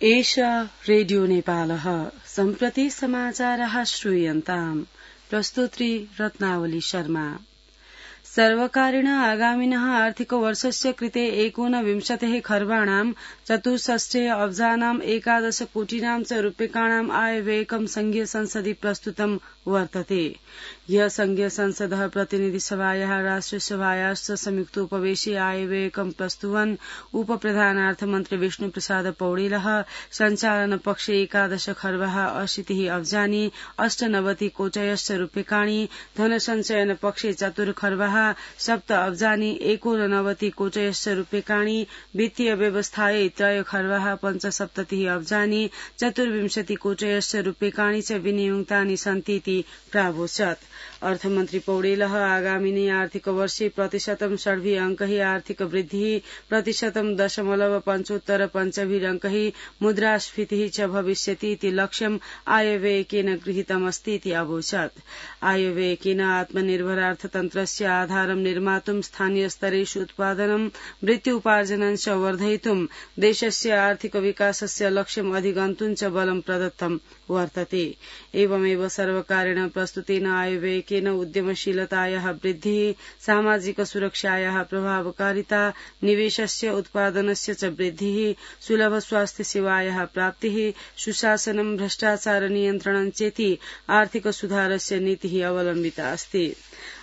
एषा रेडियो नेपालः सम्प्रति समाचारः श्रूयन्ताम्। प्रस्तुत्री रत्नावली शर्मा। सर्वकारेण आगामिनः आर्थिकवर्षस्य कृते 19 खर्वाणां 64 अब्जानां 11 कोटिनां च रूप्यकाणाम् आयव्ययकं संघीय संसदि प्रस्तुतं वर्तते। ह्यः संघीय संसदः प्रतिनिधिसभायाः राष्ट्रियसभायाश्च संयुक्तोपवेशे आयव्ययकं प्रस्तुवन् उपप्रधानार्थमन्त्री विष्णुप्रसाद पौडेलः सञ्चालनपक्षे 11 खर्वः 80 अब्जानि 98 कोटयश्च रूप्यकाणि, धनसञ्चयनपक्षे 4 खर्वः 7 अब्जानि 89 कोटयश्च रूप्यकाणि, वित्तीय व्यवस्थायै 3 खर्वः 75 अब्जानि 24 कोटयश्च रूप्यकाणि च विनियुक्तानि सन्तीति प्रावोचत्। अर्थमन्त्री पौडेलः आगामिने आर्थिकवर्षे प्रतिशतं 6 अङ्कैः आर्थिक वृद्धिः, प्रतिशतं 0.75 अङ्कैः मुद्रास्फीतिः च भविष्यति इति लक्ष्यम् आयव्ययकेन गृहीतमस्तीति अवोचत्। आयव्ययकेन आत्मनिर्भरार्थतन्त्रस्य आधारं निर्मातुं, स्थानीयस्तरेषु उत्पादनं, वृत्त्युपार्जनं च वर्धयितुं, देशस्य आर्थिक विकासस्य लक्ष्यम् अधिगन्तुं च बलं प्रदत्तं वर्तते। एवमेव सर्वकारेण प्रस्तुतेन आयव्ययकेन उद्यमशीलतायाः वृद्धिः, सामाजिक सुरक्षायाः प्रभावकारिता, निवेशस्य उत्पादनस्य च वृद्धिः, सुलभ स्वास्थ्य सेवायाः प्राप्तिः, सुशासनं, भ्रष्टाचार नियन्त्रणं चेति आर्थिक सुधारस्य नीतिः अवलम्बिता अस्ति।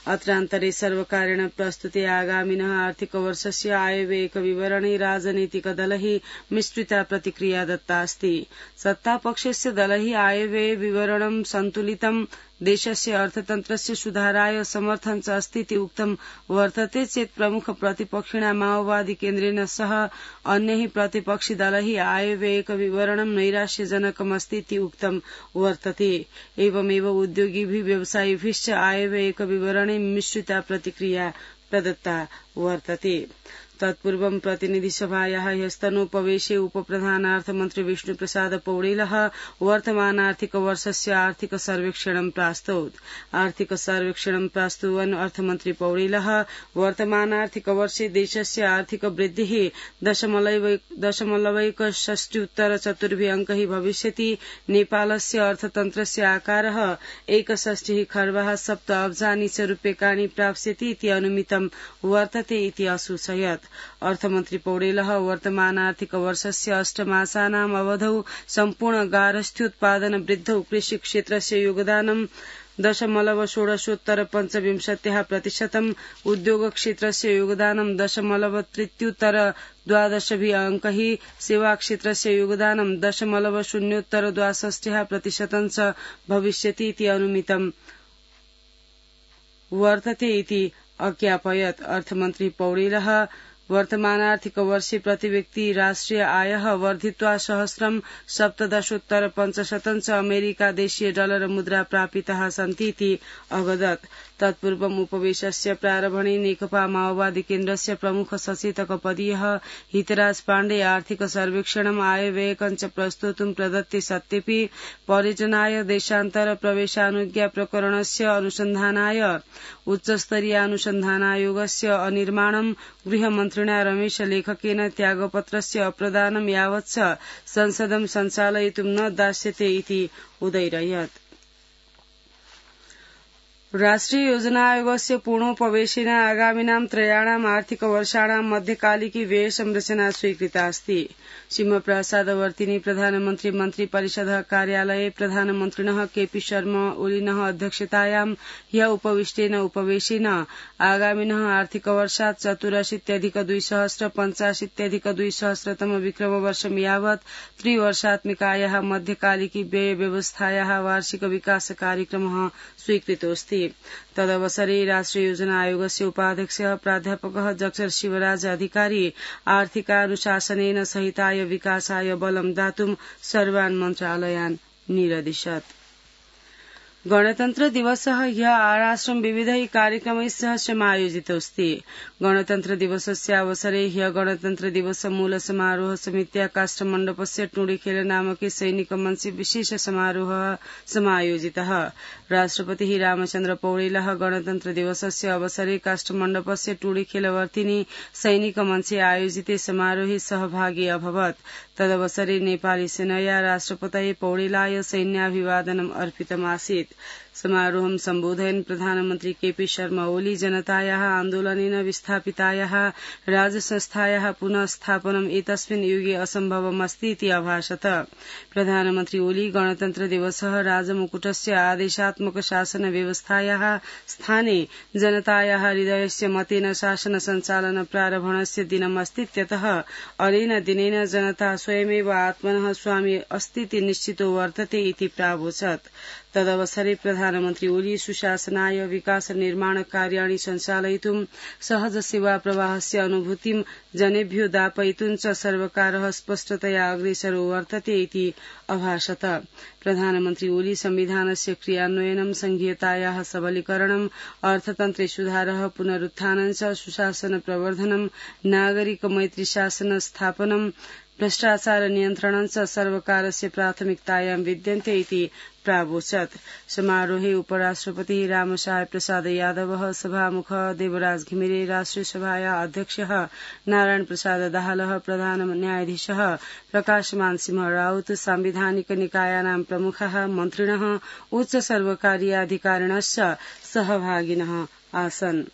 अत्रान्तरे सर्वकारेण प्रस्तुते आगामिनः आर्थिकवर्षस्य आयव्ययक विवरणे राजनीतिकदलैः मिश्रिता प्रतिक्रिया दत्ता अस्ति। सत्तापक्षस्य दलैः आयव्यय विवरणं सन्तुलितं, देशस्य अर्थतन्त्रस्य सुधाराय समर्थन च अस्तीति उक्तं वर्तते चेत् प्रमुख प्रतिपक्षिणा माओवादी केन्द्रेण सह अन्यैः प्रतिपक्षि दलैः आयव्ययक विवरणं नैराश्यजनकमस्तीति उक्तं वर्तते। एवमेव उद्योगिभिः व्यवसायिभिश्च आयव्ययक विवरणे मिश्रिता प्रतिक्रिया प्रदत्ता वर्तते। तत्पूर्वं प्रतिनिधिसभायाः ह्यस्तनोपवेशे उपप्रधानार्थमन्त्री विष्णुप्रसाद पौडेलः वर्तमानार्थिकवर्षस्य आर्थिक सर्वेक्षणं प्रास्तौत्। आर्थिक सर्वेक्षणं प्रास्तुवन् अर्थमन्त्री पौडेलः वर्तमानार्थिकवर्षे देशस्य आर्थिक वृद्धिः 0.64 अङ्कैः भविष्यति। नेपालस्य अर्थतन्त्रस्य आकारः 61 खर्वः 7 अब्जानि च रूप्यकाणि प्राप्स्यति इति अनुमितं वर्तते इति असूचयत्। अर्थमन्त्री पौडेलः वर्तमानार्थिकवर्षस्य 8 मासानाम् अवधौ सम्पूर्ण गार्हस्थ्योत्पादन वृद्धौ कृषि क्षेत्रस्य योगदानं 0.16% उद्योग क्षेत्रस्य योगदानं 0.33 अङ्कैः, सेवा क्षेत्रस्य योगदानं 0.062% च भविष्यति इति अनुमितं वर्तते इति अज्ञापयत्। अर्थमन्त्री पौडेलः वर्तमानार्थिकवर्षे प्रतिव्यक्ति राष्ट्रिय आयः वर्धित्वा 1,017.5% च अमेरिका देशीय डलर मुद्रा प्रापिताः सन्तीति अवदत्। तत्पूर्वम् उपवेशस्य प्रारम्भणे नेकपा माओवादी केन्द्रस्य प्रमुख सचेतक पदीयः हितराज पाण्डे आर्थिक सर्वेक्षणम् आयव्ययकं च प्रस्तोतुं प्रदत्ते सत्यपि पर्यटनाय देशान्तर प्रवेशानुज्ञा प्रकरणस्य अनुसन्धानाय उच्चस्तरीयानुसन्धानायोगस्य अनिर्माणं, गृहमन्त्रिणा रमेश लेखकेन त्यागपत्रस्य अप्रदानं यावत् च संसदं सञ्चालयितुं न दास्यते इति उदैरयत्। राष्ट्रिय योजना आयोगस्य पूर्णोपवेशेन आगामिनां त्रयाणाम् आर्थिकवर्षाणां मध्यकालिकी व्यय संरचना स्वीकृता अस्ति। शिवप्रसादवर्तिनी प्रधानमन्त्री मन्त्रिपरिषदः कार्यालये प्रधानमन्त्रिणः केपी शर्मा ओलीनः अध्यक्षतायां ह्यः उपविष्टेन उपवेशेन आगामिनः आर्थिकवर्षात् 84,285,200 विक्रमवर्षं यावत् त्रिवर्षात्मिकायाः मध्यकालिकी व्यय व्यवस्थायाः वार्षिक विकास कार्यक्रमः स्वीकृतोऽस्ति। तदवसरे राष्ट्रिय योजना आयोगस्य उपाध्यक्षः प्राध्यापकः डॉ शिवराज अधिकारी आर्थिकानुशासनेन सहिताय विकासाय बलं दातुं सर्वान् मन्त्रालयान् निरदिशत्। गणतन्त्र दिवसः ह्यः आराष्ट्रं विविधैः कार्यक्रमैः सह समायोजितोऽस्ति। गणतन्त्र दिवसस्य अवसरे ह्यः गणतन्त्र दिवस मूल समारोह समित्या काष्ठमण्डपस्य टुंडीखेल नामके सैनिकमञ्चे विशेष समारोहः समायोजितः। राष्ट्रपतिः रामचन्द्र पौडेलः गणतन्त्र दिवसस्य अवसरे काष्ठमण्डपस्य टुंडीखेलवर्तिनी सैनिकमञ्चे आयोजिते समारोहे सहभागी अभवत्। तदवसरे नेपाली सेनया राष्ट्रपतये पौडेलाय सैन्याभिवादनम् अर्पितमासीत्। समारोहं सम्बोधयन् प्रधानमन्त्री केपी शर्मा ओली जनतायाः आन्दोलनेन विस्थापितायाः राजसंस्थायाः पुनः स्थापनम् एतस्मिन् युगे असम्भवमस्ति इति अभाषत। प्रधानमन्त्री ओली गणतन्त्र दिवसः राजमुकुटस्य आदेशात्मक शासन व्यवस्थायाः स्थाने जनतायाः हृदयस्य मतेन शासन सञ्चालन प्रारम्भणस्य दिनमस्तीत्यतः अनेन दिनेन जनता स्वयमेव आत्मनः स्वामी अस्तीति निश्चितो वर्तते इति प्रावोचत्। तदवसरे प्रधानमन्त्री ओली सुशासनाय विकास निर्माण कार्याणि सञ्चालयितुं सहज सेवा प्रवाहस्य अनुभूतिं जनेभ्यो दापयितुं च सर्वकारः स्पष्टतया अग्रेसरो वर्तते इति अभाषत। प्रधानमन्त्री ओली संविधानस्य क्रियान्वयनं संघीयतायाः सबलीकरणम् अर्थतन्त्रे सुधारः पुनरुत्थानं च सुशासन प्रवर्धनं नागरिक मैत्री शासन स्थापनं भ्रष्टाचार नियन्त्रणं च सर्वकारस्य प्राथमिकतायां विद्यन्ते इति प्रावोचत्। समारोहे उपराष्ट्रपतिः रामसाय प्रसाद यादवः, सभामुख देवराज घिमिरे, राष्ट्रिय सभाया अध्यक्षः नारायण प्रसाद दाहालः, प्रधान न्यायाधीशः प्रकाशमान सिंह राउत, सांविधानिक निकायानां प्रमुखः, मन्त्रिणः, उच्च सर्वकारीय अधिकारिणश्च सहभागिनः आसन्।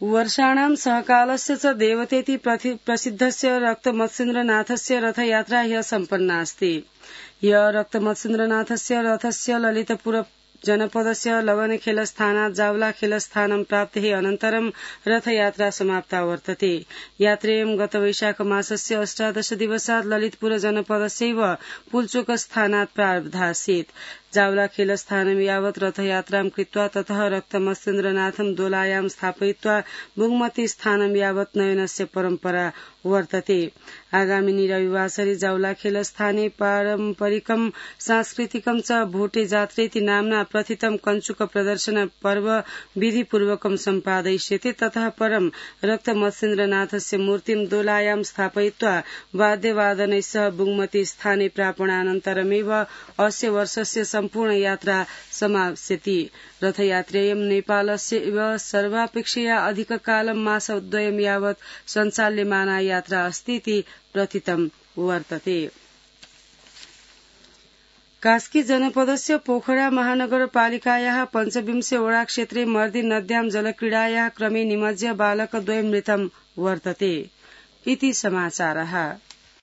वर्षाणां सहकालस्य च देवतेति प्रसिद्धस्य रक्तमत्स्येन्द्रनाथस्य रथयात्रा ह्यः सम्पन्नास्ति। ह्यः रक्तमत्स्येन्द्रनाथस्य रथस्य ललितपुर जनपदस्य लगनखेलस्थानात् जावलाखेलस्थानं प्राप्तेः अनन्तरं रथयात्रा समाप्ता वर्तते। यात्रेयं गत वैशाखमासस्य 18 दिवसात् ललितपुर जनपदस्यैव पुल्चोकस्थानात् प्रारब्धासीत्। जावलाखेलस्थानं यावत् रथयात्रां कृत्वा ततः रक्तमत्स्येन्द्रनाथं दोलायां स्थापयित्वा बुङ्मती स्थानं यावत् नयनस्य परम्परा वर्तते। आगामिनी रविवासरे जावलाखेलस्थाने पारम्परिकं सांस्कृतिकं च भोटे जात्रेति नाम्ना प्रथितं कञ्चुक प्रदर्शन पर्व विधिपूर्वकं सम्पादयिष्यते। ततः परं रक्तमत्स्येन्द्रनाथस्य मूर्तिं दोलायां स्थापयित्वा वाद्यवादनैः सह बुङ्मती स्थाने प्रापणानन्तरमेव अस्य वर्षस्य सम्पूर्ण यात्रा समाप्स्यति। रथयात्रेयं नेपालस्य इव सर्वापेक्षया अधिककालं मासद्वयं यावत् सञ्चाल्यमाना यात्रा अस्ति इति प्रथितं वर्तते। कास्की जनपदस्य पोखरा महानगरपालिकायाः 25 वडाक्षेत्रे मर्दी नद्यां जलक्रीडायाः क्रमे निमज्य बालकद्वयं मृतं वर्तते इति समाचारः।